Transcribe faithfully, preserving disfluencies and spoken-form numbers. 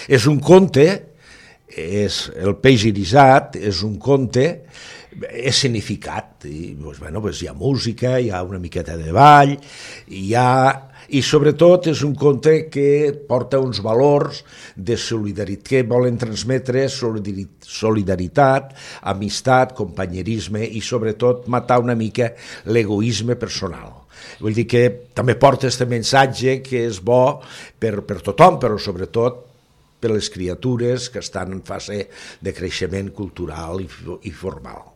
És un conte, és el peix irisat, és un conte escenificat, i doncs, bueno, doncs hi ha música, hi ha una miqueta de ball, hi ha... i sobretot és un conte que porta uns valors de solidaritat, que volen transmetre solidaritat, amistat, companyerisme i sobretot matar una mica l'egoisme personal. Vull dir que també porta aquest missatge que és bo per, per tothom, però sobretot per les criatures que estan en fase de creixement cultural i, i formal.